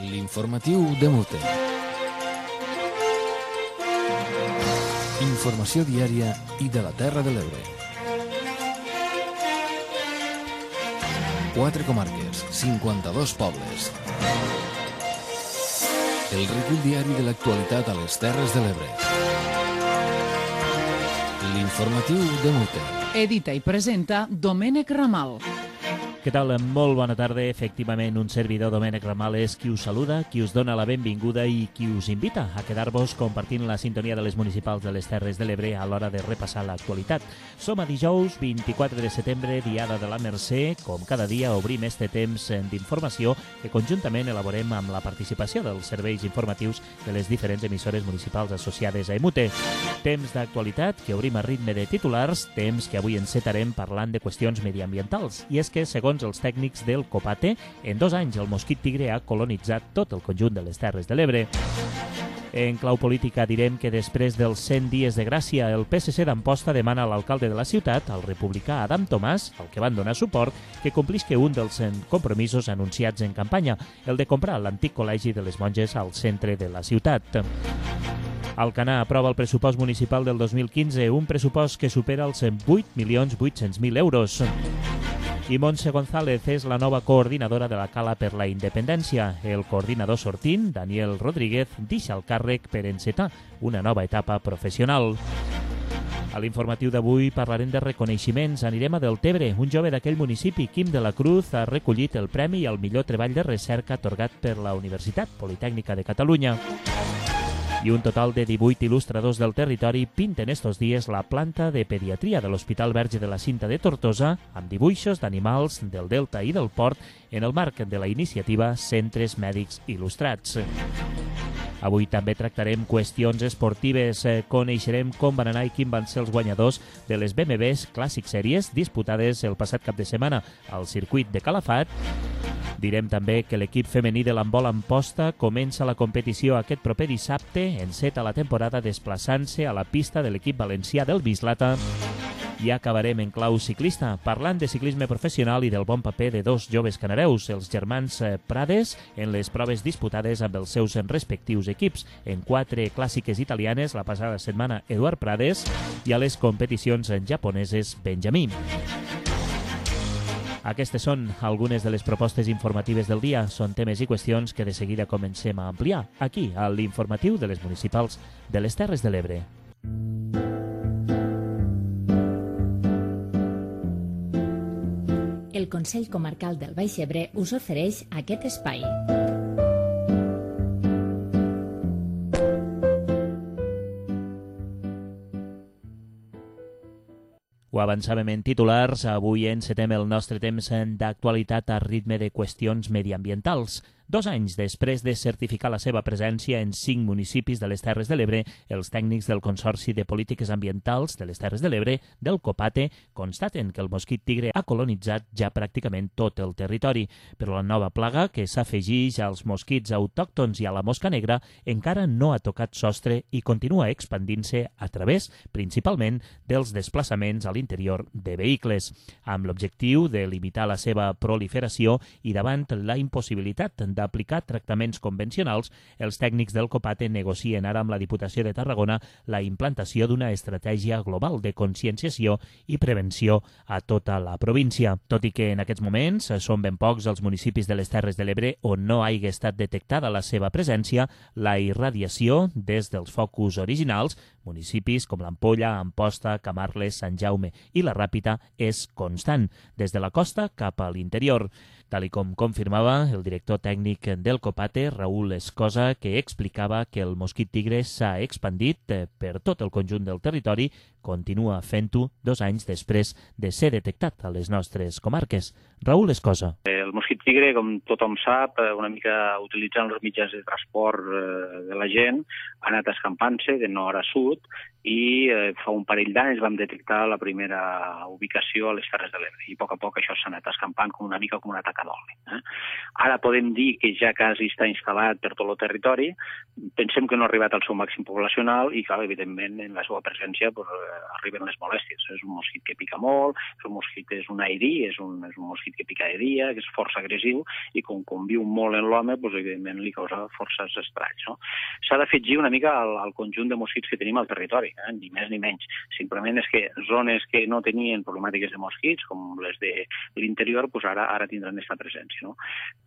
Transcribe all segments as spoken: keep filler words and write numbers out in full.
L'informatiu de Mute. Informació diària i de la Terra de l'Ebre. Quatre comarques, cinquanta-dos pobles. El recull diari de l'actualitat a les Terres de l'Ebre. L'informatiu de Mute. Edita i presenta Domènec Ramal. Què tal? Molt bona tarda. Efectivament, un servidor, Domènec Ramal, és qui us saluda, qui us dona la benvinguda i qui us invita a quedar-vos compartint la sintonia de les municipals de les Terres de l'Ebre a l'hora de repassar l'actualitat. Som a dijous, vint-i-quatre de setembre, diada de la Mercè. Com cada dia, obrim este temps d'informació que conjuntament elaborem amb la participació dels serveis informatius de les diferents emissores municipals associades a Emute. Temps d'actualitat que obrim a ritme de titulars, temps que avui encetarem parlant de qüestions mediambientals. I és que, segons els tècnics del COPATE, en dos anys el mosquit tigre ha colonitzat tot el conjunt de les Terres de l'Ebre. En clau política direm que després dels cent dies de gràcia, el P S C d'Amposta demana a l'alcalde de la ciutat, el republicà Adam Tomàs, al que van donar suport, que complisca un dels compromisos anunciats en campanya, el de comprar l'antic col·legi de les monges al centre de la ciutat. Alcanar aprova el pressupost municipal del dos mil quinze, un pressupost que supera els vuit milions vuit-cents mil euros. I Montse González és la nova coordinadora de la Cala per la Independència. El coordinador sortint, Daniel Rodríguez, deixa el càrrec per encetar una nova etapa professional. A l'informatiu d'avui parlarem de reconeixements. Anirem a Deltebre. Un jove d'aquell municipi, Quim de la Cruz, ha recollit el premi al millor treball de recerca atorgat per la Universitat Politècnica de Catalunya. I un total de divuit il·lustradors del territori pinten estos dies la planta de pediatria de l'Hospital Verge de la Cinta de Tortosa amb dibuixos d'animals del Delta i del Port en el marc de la iniciativa Centres Mèdics Il·lustrats. Avui també tractarem qüestions esportives. Coneixerem com van anar i quin van ser els guanyadors de les B M Ws Classic Series disputades el passat cap de setmana al circuit de Calafat. Direm també que l'equip femení de l'handbol Amposta comença la competició aquest proper dissabte, enceta la temporada desplaçant-se a la pista de l'equip valencià del Bislata. I acabarem en clau ciclista, parlant de ciclisme professional i del bon paper de dos joves canareus, els germans Prades, en les proves disputades amb els seus respectius equips. En quatre clàssiques italianes, la passada setmana Eduard Prades, i a les competicions japoneses Benjamí. Aquestes són algunes de les propostes informatives del dia. Són temes i qüestions que de seguida comencem a ampliar aquí, a l'informatiu de les municipals de les Terres de l'Ebre. El Consell Comarcal del Baix Ebre us ofereix aquest espai. Ho avançàvem en titulars, avui encetem el nostre temps d'actualitat a ritme de qüestions mediambientals. Dos anys després de certificar la seva presència en cinc municipis de les Terres de l'Ebre, els tècnics del Consorci de Polítiques Ambientals de les Terres de l'Ebre, del COPATE, constaten que el mosquit tigre ha colonitzat ja pràcticament tot el territori, però la nova plaga, que s'afegeix als mosquits autòctons i a la mosca negra, encara no ha tocat sostre i continua expandint-se a través, principalment, dels desplaçaments a l'interior de vehicles, amb l'objectiu de limitar la seva proliferació i davant la impossibilitat d'aplicar tractaments convencionals, els tècnics del COPATE negocien ara amb la Diputació de Tarragona la implantació d'una estratègia global de conscienciació i prevenció a tota la província. Tot i que en aquests moments són ben pocs els municipis de les Terres de l'Ebre on no hagi estat detectada la seva presència, la irradiació des dels focus originals, municipis com l'Ampolla, Amposta, Camarles, Sant Jaume i la Ràpita, és constant, des de la costa cap a l'interior. Tal i com confirmava el director tècnic del COPATE, Raül Escosa, que explicava que el mosquit tigre s'ha expandit per tot el conjunt del territori, continua fent-ho dos anys després de ser detectat a les nostres comarques. Raül Escosa. El mosquit tigre, com tothom sap, una mica utilitzant els mitjans de transport de la gent, ha anat escampant-se de nord a sud i fa un parell d'anys vam detectar la primera ubicació a les Terres de l'Ebre i a poc a poc això s'ha anat escampant com una mica com un atac d'oli. Eh? Ara podem dir que ja quasi està instal·lat per tot el territori. Pensem que no ha arribat al seu màxim poblacional i, clar, evidentment, en la seva presència pues, arriben les molèsties. És un mosquit que pica molt, és un mosquit, és un aerí, és un, és un mosquit que pica de dia, que és força agressiu i com conviu molt en l'home, pues, evidentment, li causa forces estralls. No? S'ha d'afegir una mica al, al conjunt de mosquits que tenim al territori, eh? Ni més ni menys. Simplement és que zones que no tenien problemàtiques de mosquits, com les de l'interior, pues ara ara tindran aquesta presència. No?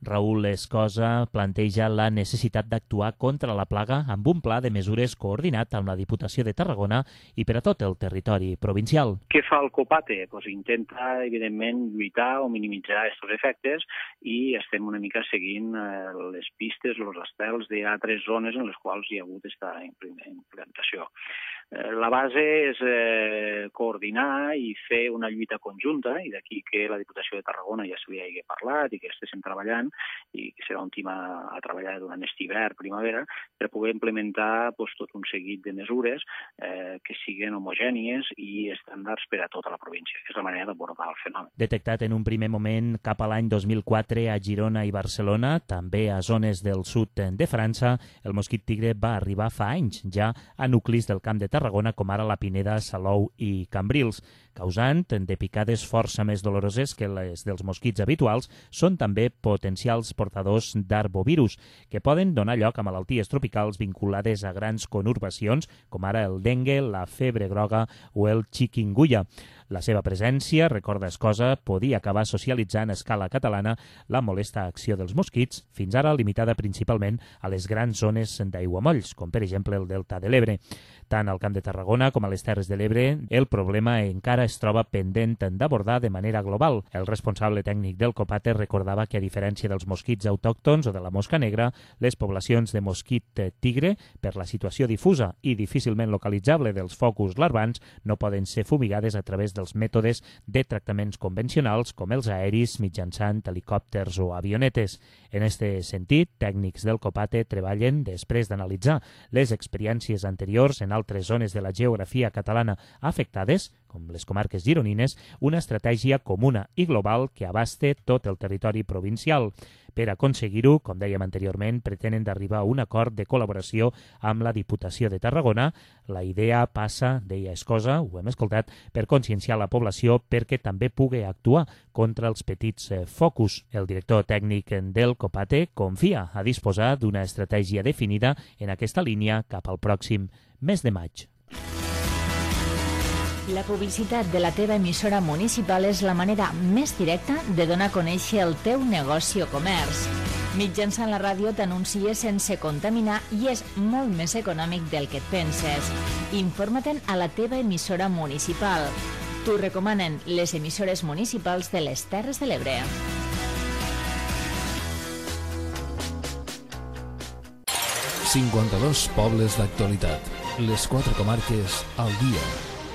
Raül Escosa planteja la necessitat d'actuar contra la plaga amb un pla de mesures coordinat amb la Diputació de Tarragona i per a tot el territori provincial. Què fa el COPATE? Pues intenta, evidentment, lluitar o minimitzar aquests efectes i estem una mica seguint eh, les pistes, els estels d'altres zones en les quals hi ha hagut aquesta implantació. La base és eh, coordinar i fer una lluita conjunta, i d'aquí que la Diputació de Tarragona ja s'hi hagi parlat i que estiguem treballant, i que serà un team a, a treballar durant aquest hivern, primavera, per poder implementar pues, tot un seguit de mesures eh, que siguin homogènies i estàndards per a tota la província. És la manera d'abordar el fenomen. Detectat en un primer moment cap a l'any dos mil quatre a Girona i Barcelona, també a zones del sud de França, el mosquit tigre va arribar fa anys ja a nuclis del Camp de Tarragona, com ara la Pineda, Salou i Cambrils, causant de picades força més doloroses que les dels mosquits habituals, són també potencials portadors d'arbovirus, que poden donar lloc a malalties tropicals vinculades a grans conurbacions, com ara el dengue, la febre groga o el chikungunya. La seva presència, recorda Escosa, podia acabar socialitzant a escala catalana la molesta acció dels mosquits, fins ara limitada principalment a les grans zones d'aiguamolls, com per exemple el Delta de l'Ebre. Tant al Camp de Tarragona com a les Terres de l'Ebre, el problema encara es troba pendent d'abordar de manera global. El responsable tècnic del COPATE recordava que, a diferència dels mosquits autòctons o de la mosca negra, les poblacions de mosquit tigre, per la situació difusa i difícilment localitzable dels focus larvans, no poden ser fumigades a través dels mètodes de tractaments convencionals com els aeris mitjançant helicòpters o avionetes. En este sentit, tècnics del COPATE treballen, després d'analitzar les experiències anteriors en altres zones de la geografia catalana afectades, com les comarques gironines, una estratègia comuna i global que abaste tot el territori provincial. Per aconseguir-ho, com dèiem anteriorment, pretenen d'arribar a un acord de col·laboració amb la Diputació de Tarragona. La idea passa, deia Escosa, ho hem escoltat, per conscienciar la població perquè també pugui actuar contra els petits focus. El director tècnic del COPATE confia a disposar d'una estratègia definida en aquesta línia cap al pròxim mes de maig. La publicitat de la teva emissora municipal és la manera més directa de donar a conèixer el teu negoci o comerç. Mitjançant la ràdio t'anuncies sense contaminar i és molt més econòmic del que et penses. Informa-te'n a la teva emissora municipal. T'ho recomanen les emissores municipals de les Terres de l'Ebre. cinquanta-dos pobles d'actualitat. Les quatre comarques al dia.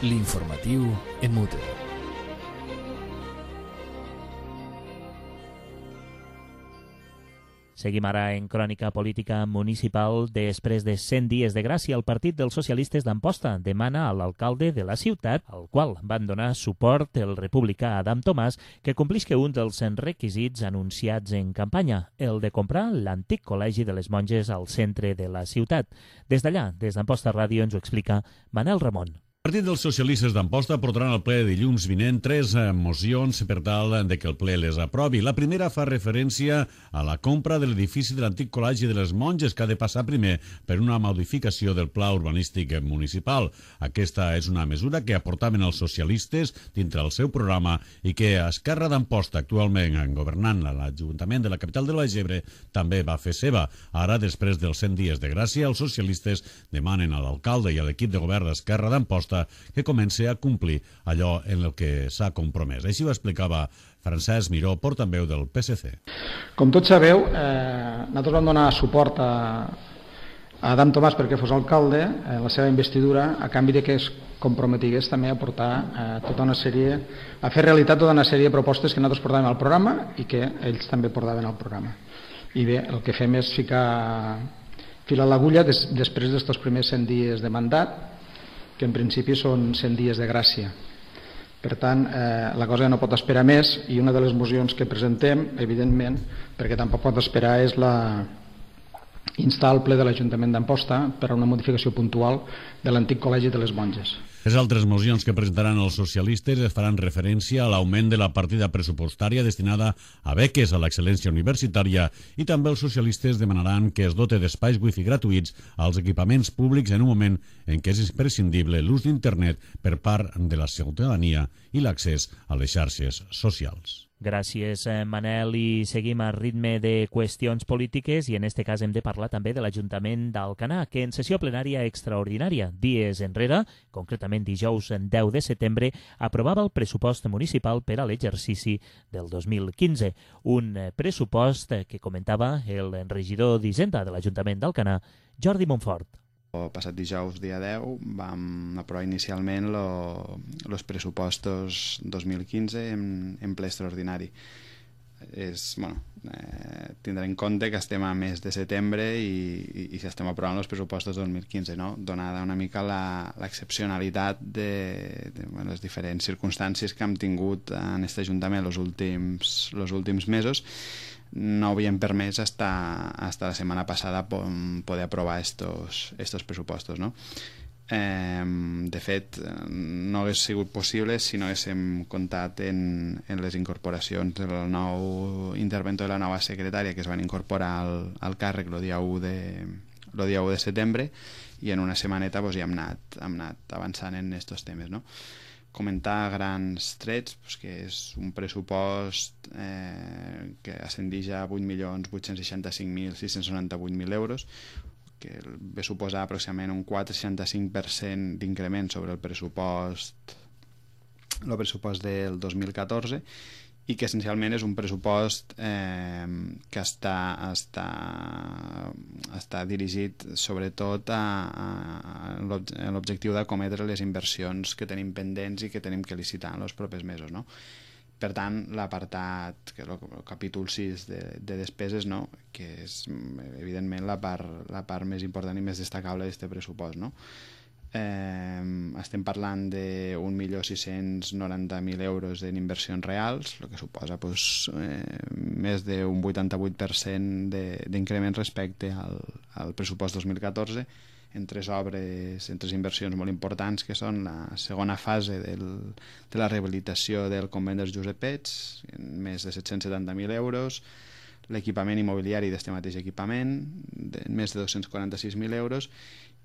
L'informatiu en mute. Seguim ara en crònica política municipal. Després de cent dies de gràcia, el Partit dels Socialistes d'Amposta demana a l'alcalde de la ciutat, al qual van donar suport el republicà Adam Tomàs, que complisca un dels requisits anunciats en campanya, el de comprar l'antic col·legi de les monges al centre de la ciutat. Des d'allà, des d'Amposta Ràdio, ens ho explica Manel Ramon. El Partit dels Socialistes d'Amposta portaran al ple de dilluns vinent tres mocions per tal de que el ple les aprovi. La primera fa referència a la compra de l'edifici de l'antic col·legi de les monges, que ha de passar primer per una modificació del pla urbanístic municipal. Aquesta és una mesura que aportaven els socialistes dintre el seu programa i que Esquerra d'Amposta, actualment governant a l'Ajuntament de la capital de l'Ebre, també va fer seva. Ara, després dels cent dies de gràcia, els socialistes demanen a l'alcalde i a l'equip de govern d'Esquerra d'Amposta que comenci a complir allò en el que s'ha compromès. Així ho explicava Francesc Miró, portaveu del P S C. Com tots sabeu, eh, nosaltres vam donar suport a, a Adam Tomàs perquè fos alcalde en la seva investidura, a canvi de que es comprometigués també a portar eh, tota una sèrie, a fer realitat tota una sèrie de propostes que nosaltres portàvem al programa i que ells també portaven al programa. I bé, el que fem és ficar fil a l'agulla des, després d'estos primers cent dies de mandat, que en principi són cent dies de gràcia. Per tant, eh, la cosa no pot esperar més i una de les mocions que presentem, evidentment, perquè tampoc pot esperar, és la instar el ple de l'Ajuntament d'Amposta per a una modificació puntual de l'antic Col·legi de les Monges. Les altres mocions que presentaran els socialistes es faran referència a l'augment de la partida pressupostària destinada a beques a l'excel·lència universitària i també els socialistes demanaran que es dote d'espais wifi gratuïts als equipaments públics en un moment en què és imprescindible l'ús d'internet per part de la ciutadania i l'accés a les xarxes socials. Gràcies, Manel, i seguim a ritme de qüestions polítiques i en este cas hem de parlar també de l'Ajuntament d'Alcanar, que en sessió plenària extraordinària, dies enrere, concretament dijous deu de setembre, aprovava el pressupost municipal per a l'exercici del dos mil quinze. Un pressupost que comentava el regidor d'Hisenda de l'Ajuntament d'Alcanar, Jordi Montfort. El passat dijous, dia deu, vam aprovar inicialment els pressupostos dos mil quinze en, en ple extraordinari. És, bueno, eh, tindrà en compte que estem a mes de setembre i, i, i estem aprovant els pressupostos dos mil quinze, no? Donada una mica l'excepcionalitat de, de bueno, les diferents circumstàncies que hem tingut en aquest Ajuntament els últims, els últims mesos, no havíem permès hasta, hasta la setmana passada poder aprovar estos, estos pressupostos, no? Eh, de fet, no hagués sigut possible si no haguéssim comptat en, en les incorporacions del nou interventor de la nova secretària que es van incorporar al, al càrrec el dia u de, el dia u de setembre i en una setmaneta pues, ja hem anat, hem anat avançant en aquests temes, no? Comentar grans trets, pues, que és un pressupost eh, que ascendeix a vuit milions vuit-cents seixanta-cinc mil sis-cents noranta-vuit mil euros, que ve suposar aproximadament un quatre coma seixanta-cinc per cent d'increment sobre el pressupost, el pressupost del dos mil catorze, i que essencialment és un pressupost eh, que està, està, està dirigit sobretot a, a l'objectiu d'acometre les inversions que tenim pendents i que tenim que licitar en els propers mesos, no? Per tant, l'apartat, que és el capítol sis de, de despeses, no? Que és evidentment la part, la part més important i més destacable d'aquest pressupost, no? Eh, estem parlant d'un milió sis-cents noranta mil euros en inversions reals, el que suposa pues, eh, més d'un vuitanta-vuit per cent d'increment respecte al, al pressupost dos mil catorze, en tres obres, en tres inversions molt importants, que són la segona fase del, de la rehabilitació del convent dels Josepets, en més de set-cents setanta mil euros, l'equipament immobiliari d'este mateix equipament, de més de dos-cents quaranta-sis mil euros,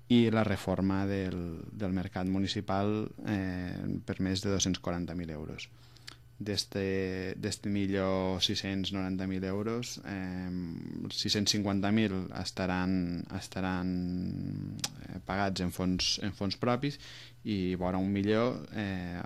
i la reforma del, del mercat municipal eh, per més de dos-cents quaranta mil euros. D'este milió sis-cents noranta mil euros, eh, sis-cents cinquanta mil estaran, estaran eh, pagats en fons, en fons propis i vora un milió eh,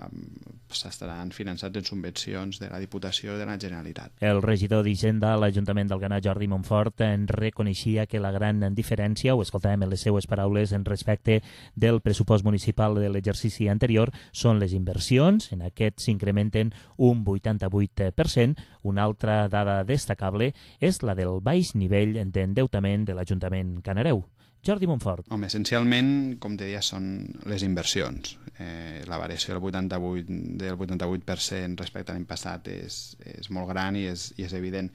s'estaran finançats en subvencions de la Diputació de la Generalitat. El regidor d'Hisenda a l'Ajuntament d'Alcanar, Jordi Montfort, en reconeixia que la gran diferència, ho escoltàvem en les seues paraules, en respecte del pressupost municipal de l'exercici anterior, són les inversions. En aquest s'incrementen un vuitanta-vuit per cent. Una altra dada destacable és la del baix nivell d'endeutament de l'Ajuntament Canareu. Jordi Montfort. Home, essencialment, com te deia, són les inversions. Eh, la variació del vuitanta-vuit, del vuitanta-vuit per cent respecte a l'any passat és, és molt gran i és, i és evident.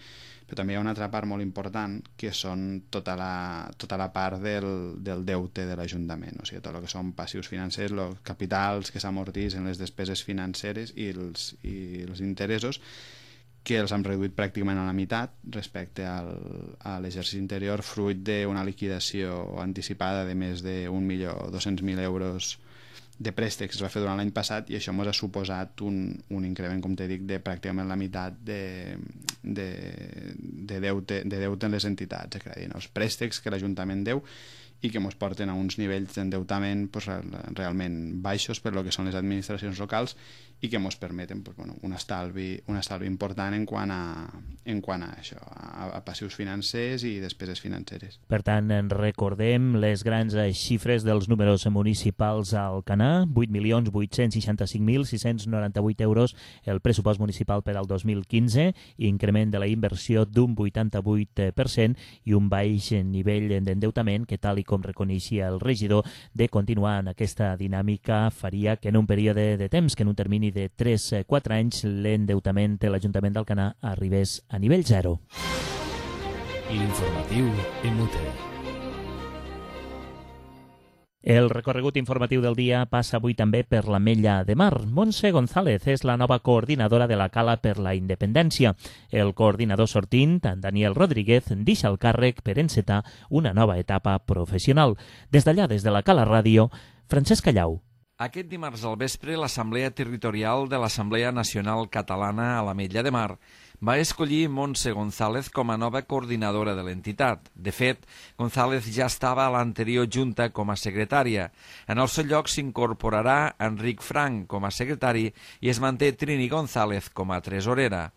Però també hi ha una altra part molt important, que són tota la, tota la part del, del deute de l'Ajuntament. O sigui, tot el que són passius financers, els capitals que s'amortitzen, les despeses financeres i els, i els interessos, que els hem reduït pràcticament a la meitat respecte al, a l'exercici anterior, fruit d'una liquidació anticipada de més d'un milió dos-cents mil euros de préstecs que es va fer durant l'any passat, i això ens ha suposat un, un increment, com te dic, de pràcticament la meitat de, de, de, deute, de deute en les entitats de crèdit. Els préstecs que l'Ajuntament deu i que ens porten a uns nivells d'endeutament pues, realment baixos per lo que són les administracions locals i que ens permeten pues, bueno, un, estalvi, un estalvi important en quant a, en quant a això, a, a passius financers i despeses financeres. Per tant, recordem les grans xifres dels números municipals a Alcanar: vuit milions vuit-cents seixanta-cinc mil sis-cents noranta-vuit euros el pressupost municipal per al dos mil quinze, increment de la inversió d'un vuitanta-vuit per cent i un baix nivell d'endeutament que, tal i com reconeixia el regidor, de continuar en aquesta dinàmica faria que en un període de temps, que en un termini de tres a quatre anys, l'endeutament de l'Ajuntament d'Alcanar arribés a nivell zero. L'informatiu M U T. El recorregut informatiu del dia passa avui també per l'Ametlla de Mar. Montse González és la nova coordinadora de la Cala per la Independència. El coordinador sortint, en Daniel Rodríguez, deixa el càrrec per encetar una nova etapa professional. Des d'allà, des de la Cala Ràdio, Francesc Callau. Aquest dimarts al vespre, l'Assemblea Territorial de l'Assemblea Nacional Catalana a l'Ametlla de Mar va escollir Montse González com a nova coordinadora de l'entitat. De fet, González ja estava a l'anterior junta com a secretària. En el seu lloc s'incorporarà Enric Frank com a secretari i es manté Trini González com a tresorera.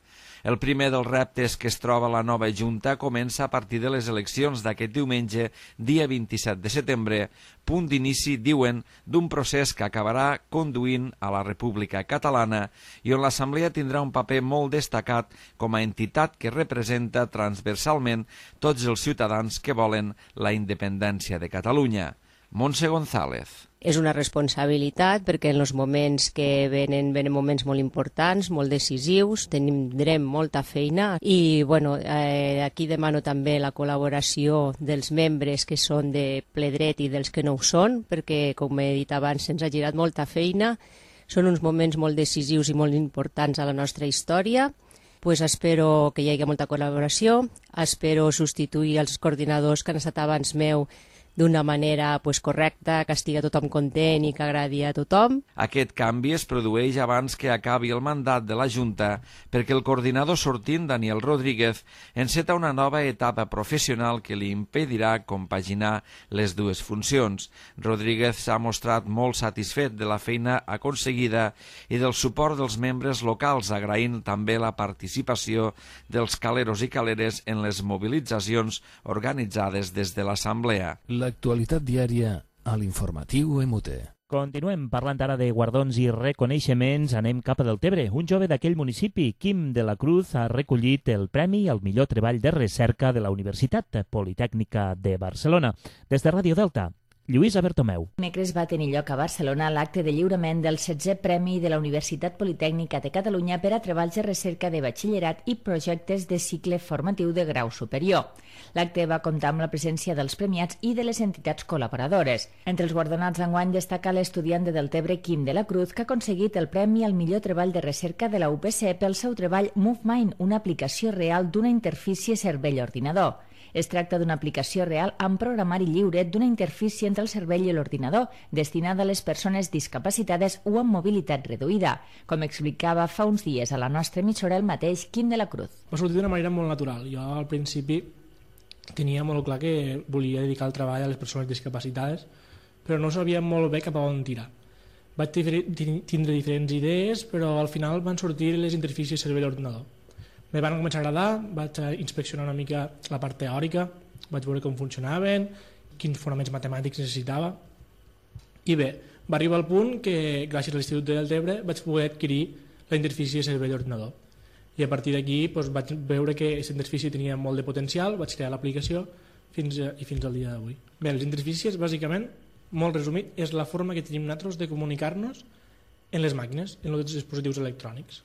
El primer dels reptes que es troba la nova Junta comença a partir de les eleccions d'aquest diumenge, dia vint-i-set de setembre, punt d'inici, diuen, d'un procés que acabarà conduint a la República Catalana i on l'Assemblea tindrà un paper molt destacat com a entitat que representa transversalment tots els ciutadans que volen la independència de Catalunya. Montse González. És una responsabilitat perquè en els moments que venen, venen moments molt importants, molt decisius, tindrem molta feina i bueno, eh, aquí demano també la col·laboració dels membres que són de ple dret i dels que no ho són, perquè com he dit abans se'ns ha girat molta feina, són uns moments molt decisius i molt importants a la nostra història. Pues espero que hi hagi molta col·laboració, espero substituir els coordinadors que han estat abans meu d'una manera pues, correcta, que estigui tothom content i que agradi a tothom. Aquest canvi es produeix abans que acabi el mandat de la Junta perquè el coordinador sortint, Daniel Rodríguez, enceta una nova etapa professional que li impedirà compaginar les dues funcions. Rodríguez s'ha mostrat molt satisfet de la feina aconseguida i del suport dels membres locals, agraint també la participació dels caleros i caleres en les mobilitzacions organitzades des de l'Assemblea. L'actualitat diària a l'informatiu M U T. Continuem parlant ara de guardons i reconeixements. Anem cap a Deltebre. Un jove d'aquell municipi, Quim de la Cruz, ha recollit el Premi al millor treball de recerca de la Universitat Politècnica de Barcelona. Des de Ràdio Delta, Lluïsa Bertomeu. Dimecres va tenir lloc a Barcelona l'acte de lliurament del setzè Premi de la Universitat Politècnica de Catalunya per a treballs de recerca de batxillerat i projectes de cicle formatiu de grau superior. L'acte va comptar amb la presència dels premiats i de les entitats col·laboradores. Entre els guardonats d'enguany destaca l'estudiant de Deltebre Quim de la Cruz, que ha aconseguit el Premi al millor treball de recerca de la U P C pel seu treball MoveMind, una aplicació real d'una interfície cervell-ordinador. Es tracta d'una aplicació real amb programari lliure d'una interfície entre el cervell i l'ordinador, destinada a les persones discapacitades o amb mobilitat reduïda, com explicava fa uns dies a la nostra emissora el mateix Quim de la Cruz. Va sortir d'una manera molt natural. Jo al principi tenia molt clar que volia dedicar el treball a les persones discapacitades, però no sabia molt bé cap a on tirar. Vaig tindre diferents idees, però al final van sortir les interfícies cervell-ordinador. Me van començar a agradar, vaig inspeccionar una mica la part teòrica, vaig veure com funcionaven, quins fonaments matemàtics necessitava. I bé, va arribar al punt que, gràcies a l'Institut de Deltebre, vaig poder adquirir la interfície cervell-ordinador. I a partir d'aquí doncs, vaig veure que aquesta interfície tenia molt de potencial, vaig crear l'aplicació fins a, i fins al dia d'avui. Bé, les interfícies, bàsicament, molt resumit, és la forma que tenim nosaltres de comunicar-nos en les màquines, en els dispositius electrònics.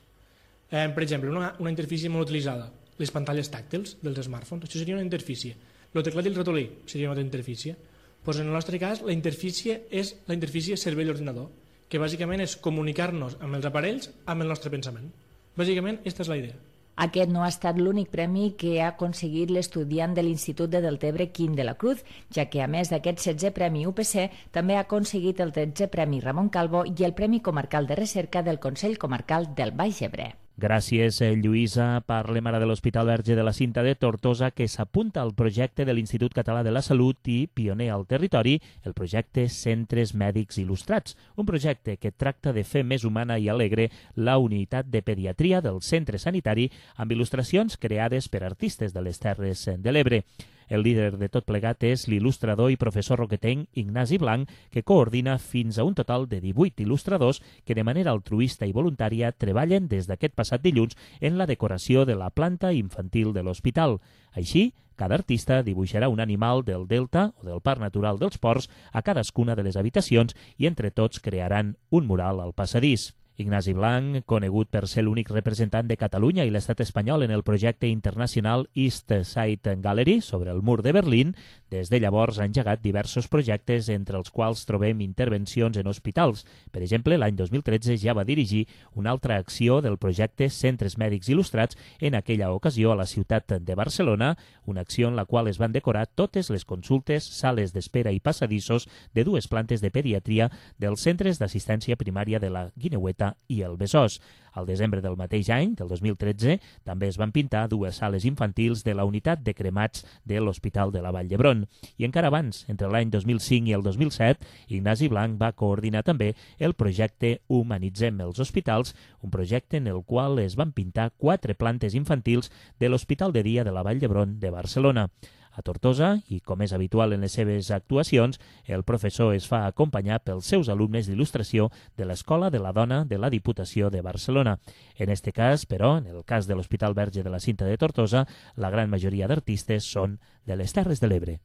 Eh, per exemple, una, una interfície molt utilitzada, les pantalles tàctils dels smartphones, això seria una interfície. El teclat i el ratolí seria una altra interfície. Pues en el nostre cas, la interfície és la interfície cervell-ordinador, que bàsicament és comunicar-nos amb els aparells amb el nostre pensament. Bàsicament, aquesta és la idea. Aquest no ha estat l'únic premi que ha aconseguit l'estudiant de l'Institut de Deltebre Quim de la Cruz, ja que a més d'aquest setzè Premi U P C també ha aconseguit el tretzè Premi Ramon Calvo i el Premi Comarcal de Recerca del Consell Comarcal del Baix Ebre. Gràcies, Lluïsa. Parlem ara de l'Hospital Verge de la Cinta de Tortosa, que s'apunta al projecte de l'Institut Català de la Salut i, pioner al territori, el projecte Centres Mèdics Il·lustrats, un projecte que tracta de fer més humana i alegre la unitat de pediatria del centre sanitari amb il·lustracions creades per artistes de les Terres de l'Ebre. El líder de tot plegat és l'il·lustrador i professor roquetenc Ignasi Blanc, que coordina fins a un total de divuit il·lustradors que de manera altruista i voluntària treballen des d'aquest passat dilluns en la decoració de la planta infantil de l'hospital. Així, Cada artista dibuixarà un animal del delta o del Parc Natural dels Ports a cadascuna de les habitacions i entre tots crearan un mural al passadís. Ignasi Blanc, conegut per ser l'únic representant de Catalunya i l'estat espanyol en el projecte internacional East Side Gallery sobre el mur de Berlín, des de llavors ha engegat diversos projectes entre els quals trobem intervencions en hospitals. Per exemple, l'any dos mil tretze ja va dirigir una altra acció del projecte Centres Mèdics Il·lustrats, en aquella ocasió a la ciutat de Barcelona, una acció en la qual es van decorar totes les consultes, sales d'espera i passadissos de dues plantes de pediatria dels centres d'assistència primària de la Guineueta i el Besòs. Al desembre del mateix any, del dos mil tretze, també es van pintar dues sales infantils de la unitat de cremats de l'Hospital de la Vall d'Hebron. I encara abans, entre l'any dos mil cinc i el dos mil set, Ignasi Blanc va coordinar també el projecte Humanitzem els Hospitals, un projecte en el qual es van pintar quatre plantes infantils de l'Hospital de Dia de la Vall d'Hebron de Barcelona. A Tortosa, i com és habitual en les seves actuacions, el professor es fa acompanyar pels seus alumnes d'il·lustració de l'Escola de la Dona de la Diputació de Barcelona. En este cas, però, en el cas de l'Hospital Verge de la Cinta de Tortosa, la gran majoria d'artistes són de les Terres de l'Ebre.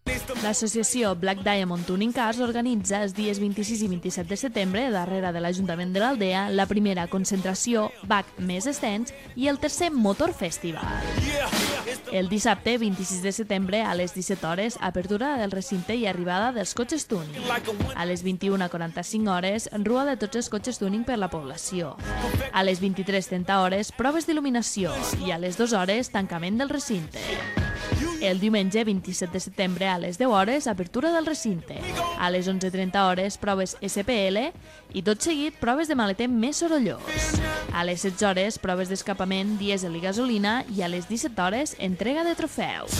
L'associació Black Diamond Tuning Cars organitza els dies vint-i-sis i vint-i-set de setembre, darrere de l'Ajuntament de l'Aldea, la primera concentració B A C més Estens i el tercer Motor Festival. El dissabte vint-i-sis de setembre a les disset hores, apertura del recinte i arribada dels cotxes tuning. A les vint-i-una quaranta-cinc hores, rua de tots els cotxes tuning per la població. A les vint-i-tres trenta hores, proves d'il·luminació i a les dues hores, tancament del recinte. El diumenge vint-i-set de setembre a les deu hores, apertura del recinte. A les onze trenta hores, proves S P L i tot seguit proves de maleter més sorollós. A les setze hores, proves d'escapament, dièsel i gasolina i a les disset hores, entrega de trofeus.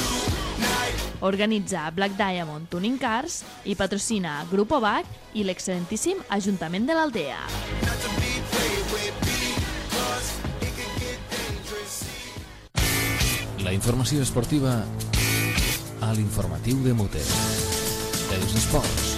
Organitza Black Diamond Tuning Cars i patrocina Grupo B A C i l'excel·lentíssim Ajuntament de l'Aldea. La informació esportiva a l'informatiu de Mote. Els esports.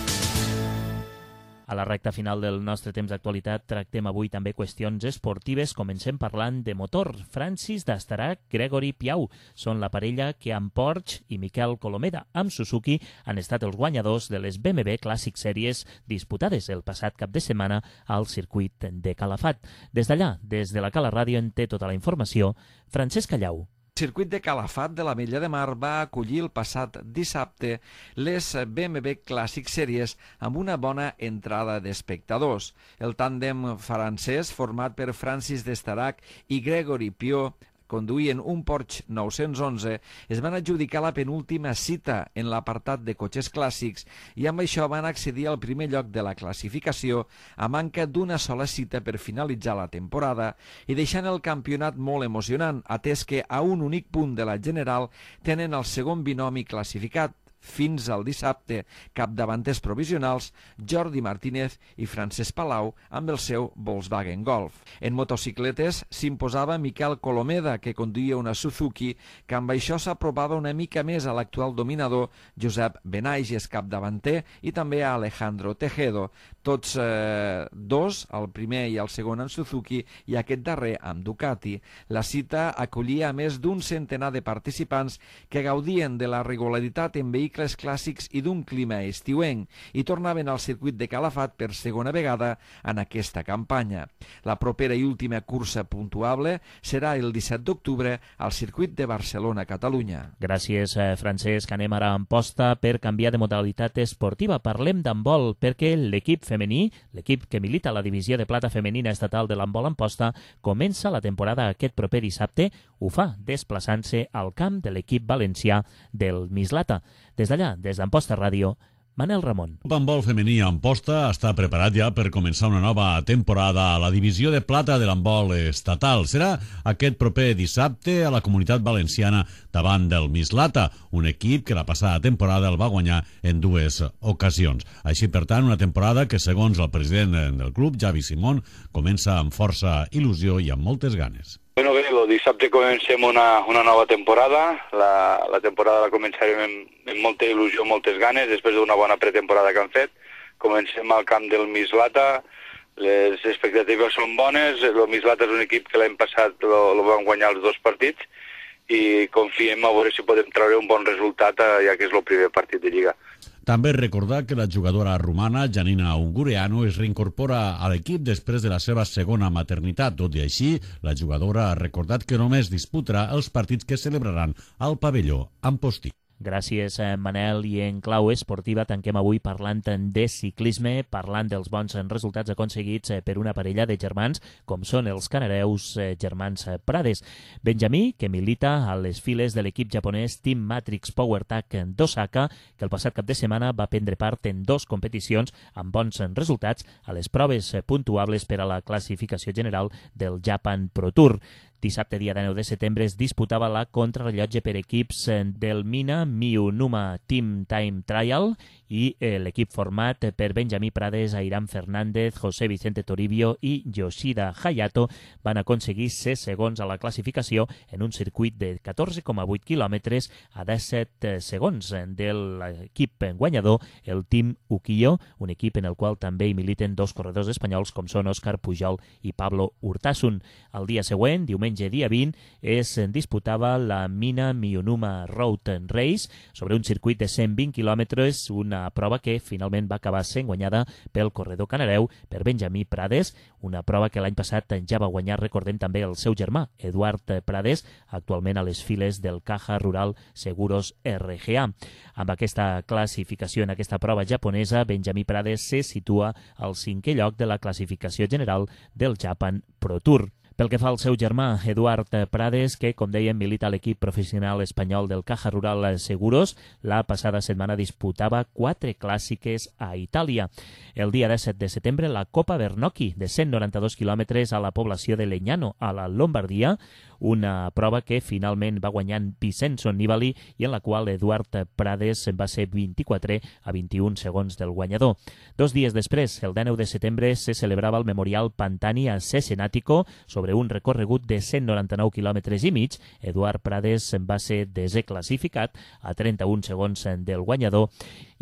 A la recta final del nostre temps d'actualitat tractem avui també qüestions esportives. Comencem parlant de motor. Francis d'Astarac, Gregory Piau són la parella que amb Porsche i Miquel Colomeda amb Suzuki han estat els guanyadors de les B M W Classic Series disputades el passat cap de setmana al circuit de Calafat. Des d'allà, des de la Cala Ràdio, en té tota la informació Francesc Callau. El circuit de Calafat de l'Ametlla de Mar va acollir el passat dissabte les B M W Classic Series amb una bona entrada d'espectadors. El tàndem francès, format per Francis d'Estarac i Gregory Piau, conduïen un Porsche nou-cents onze, es van adjudicar la penúltima cita en l'apartat de cotxes clàssics i amb això van accedir al primer lloc de la classificació a manca d'una sola cita per finalitzar la temporada i deixant el campionat molt emocionant, atès que a un únic punt de la general tenen el segon binomi classificat, fins al dissabte, capdavanters provisionals Jordi Martínez i Francesc Palau amb el seu Volkswagen Golf. En motocicletes s'imposava Miquel Colomeda, que conduïa una Suzuki, que amb això s'apropava una mica més a l'actual dominador Josep Benaiges, capdavanter, i també a Alejandro Tejedo, tots eh, dos, el primer i el segon en Suzuki i aquest darrer amb Ducati. La cita acollia a més d'un centenar de participants que gaudien de la regularitat en vehicles clàssics i d'un clima estiuenc i tornaven al circuit de Calafat per segona vegada en aquesta campanya. La propera i última cursa puntuable serà el disset d'octubre al circuit de Barcelona-Catalunya. Gràcies, Francesc. Anem ara a Amposta per canviar de modalitat esportiva. Parlem d'handbol perquè l'equip femení, l'equip que milita a la divisió de plata femenina estatal de l'handbol Amposta, comença la temporada aquest proper dissabte. Ho fa desplaçant-se al camp de l'equip valencià del Mislata. Des d'allà, des d'Amposta Ràdio, Manel Ramon. El handbol femení a Amposta està preparat ja per començar una nova temporada a la divisió de plata de l'handbol estatal. Serà aquest proper dissabte a la Comunitat Valenciana davant del Mislata, un equip que la passada temporada el va guanyar en dues ocasions. Així, per tant, una temporada que, segons el president del club, Javi Simón, comença amb força il·lusió i amb moltes ganes. Bueno, bé, el dissabte comencem una, una nova temporada. La, la temporada la començarem amb, amb molta il·lusió, moltes ganes, després d'una bona pretemporada que han fet. Comencem al camp del Mislata, les expectatives són bones, el Mislata és un equip que l'any passat el van guanyar els dos partits i confiem a veure si podem treure un bon resultat, ja que és el primer partit de Lliga. També recordar que la jugadora romana Janina Ungureanu es reincorpora a l'equip després de la seva segona maternitat. Tot i així, la jugadora ha recordat que només disputarà els partits que celebraran al pavelló Amposti. Gràcies, Manel. I en clau esportiva tanquem avui parlant de ciclisme, parlant dels bons resultats aconseguits per una parella de germans, com són els canareus germans Prades. Benjamí, que milita a les files de l'equip japonès Team Matrix PowerTech d'Osaka, que el passat cap de setmana va prendre part en dos competicions amb bons resultats a les proves puntuables per a la classificació general del Japan Pro Tour. Dissabte, dia dinou de setembre, es disputava la contrarrellotge per equips del Mina Miyunuma Team Time Trial i l'equip format per Benjamí Prades, Airam Fernández, José Vicente Toribio i Yoshida Hayato van aconseguir ser segons a la classificació en un circuit de catorze coma vuit quilòmetres a disset segons de l'equip guanyador, el Team Ukiyo, un equip en el qual també hi militen dos corredors espanyols com són Òscar Pujol i Pablo Urtasun. El dia següent, diumenge dia vint, es disputava la Mina Miyunuma Road Race sobre un circuit de cent vint quilòmetres, una prova que finalment va acabar sent guanyada pel corredor canareu, per Benjamí Prades, una prova que l'any passat ja va guanyar, recordem també, el seu germà, Eduard Prades, actualment a les files del Caja Rural Seguros R G A. Amb aquesta classificació en aquesta prova japonesa, Benjamí Prades se situa al cinquè lloc de la classificació general del Japan Pro Tour. Pel que fa al seu germà, Eduard Prades, que, com dèiem, milita a l'equip professional espanyol del Caja Rural Seguros, la passada setmana disputava quatre clàssiques a Itàlia. El dia disset de setembre, la Copa Bernocchi, de cent noranta-dos quilòmetres a la població de Legnano, a la Lombardia, una prova que finalment va guanyant Vincenzo Nibali i en la qual Eduard Prades va ser vint-i-quatre a vint-i-un segons del guanyador. Dos dies després, el dinou de setembre, se celebrava el Memorial Pantani a Cesenatico sobre un recorregut de cent noranta-nou quilòmetres i mig. Eduard Prades va ser desclassificat a trenta-un segons del guanyador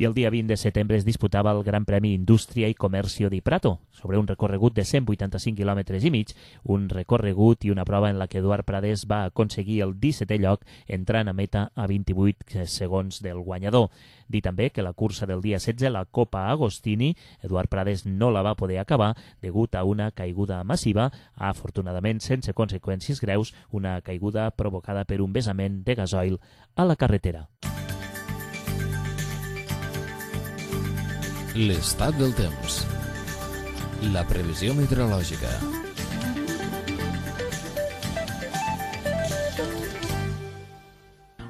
i el dia vint de setembre es disputava el Gran Premi Indústria i Comercio di Prato sobre un recorregut de cent vuitanta-cinc quilòmetres i mig, un recorregut i una prova en la que Eduard Prades va aconseguir el dissetè lloc entrant a meta a vint-i-vuit segons del guanyador. Dir també que la cursa del dia setze, la Copa Agostini, Eduard Prades no la va poder acabar degut a una caiguda massiva, afortunadament sense conseqüències greus, una caiguda provocada per un vessament de gasoil a la carretera. L'estat del temps. La previsió meteorològica.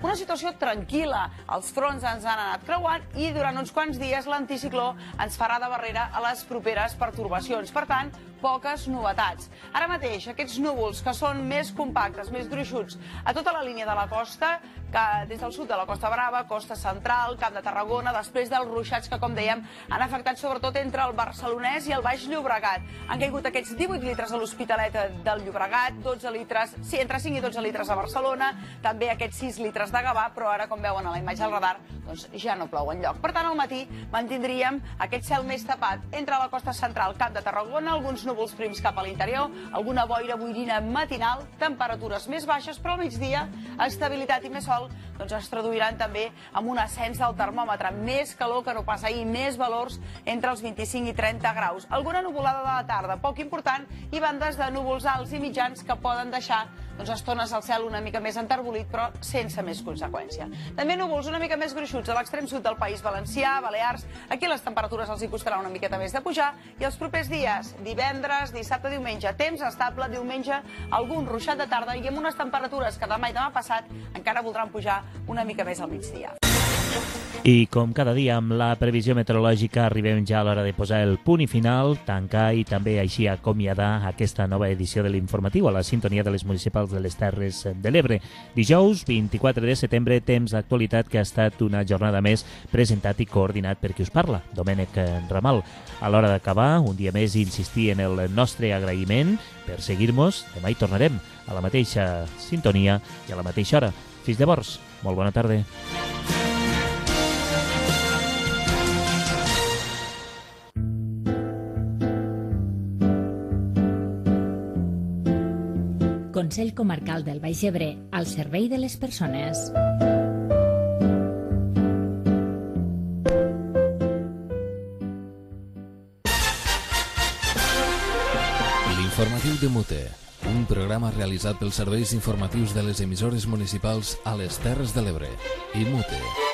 Una situació tranquil·la. Els fronts ens han anat creuant i durant uns quants dies l'anticicló ens farà de barrera a les properes pertorbacions. Per tant, poques novetats. Ara mateix, aquests núvols que són més compactes, més gruixuts, a tota la línia de la costa, que des del sud de la Costa Brava, Costa Central, Camp de Tarragona, després dels ruixats que, com dèiem, han afectat sobretot entre el Barcelonès i el Baix Llobregat. Han caigut aquests divuit litres a l'Hospitalet del Llobregat, dotze litres, sí, entre cinc i dotze litres a Barcelona, també aquests sis litres de Gavà, però ara, com veuen a la imatge del radar, doncs ja no plou enlloc. Per tant, al matí mantindríem aquest cel més tapat entre la Costa Central, Camp de Tarragona, alguns núvols prims cap a l'interior, alguna boira boirina matinal, temperatures més baixes, però al migdia, estabilitat i més sol, doncs es traduiran també amb un ascens del termòmetre, més calor que no pas ahir, més valors entre els vint-i-cinc i trenta graus. Alguna nuvolada de la tarda, poc important, i bandes de núvols alts i mitjans que poden deixar doncs, estones al cel una mica més enterbolit, però sense més conseqüència. També núvols una mica més gruixuts a l'extrem sud del País Valencià, Balears. Aquí les temperatures els hi costarà una miqueta més de pujar, i els propers dies, divendres, dissabte, diumenge, temps estable, diumenge, algun ruixat de tarda i amb unes temperatures que demà i demà passat encara voldran pujar una mica més al migdia. I com cada dia amb la previsió meteorològica arribem ja a l'hora de posar el punt i final, tancar i també així acomiadar aquesta nova edició de l'informatiu a la sintonia de les municipals de les Terres de l'Ebre. Dijous, vint-i-quatre de setembre, temps d'actualitat que ha estat una jornada més presentat i coordinat per qui us parla, Domènec Ramal. A l'hora d'acabar, un dia més insistir en el nostre agraïment per seguir-nos. Demà hi tornarem a la mateixa sintonia i a la mateixa hora. Fins llavors, molt bona tarda. Consell Comarcal del Baix Ebre, al servei de les persones. L'informatiu de Mute, un programa realitzat pels serveis informatius de les emissores municipals a les Terres de l'Ebre i Mute.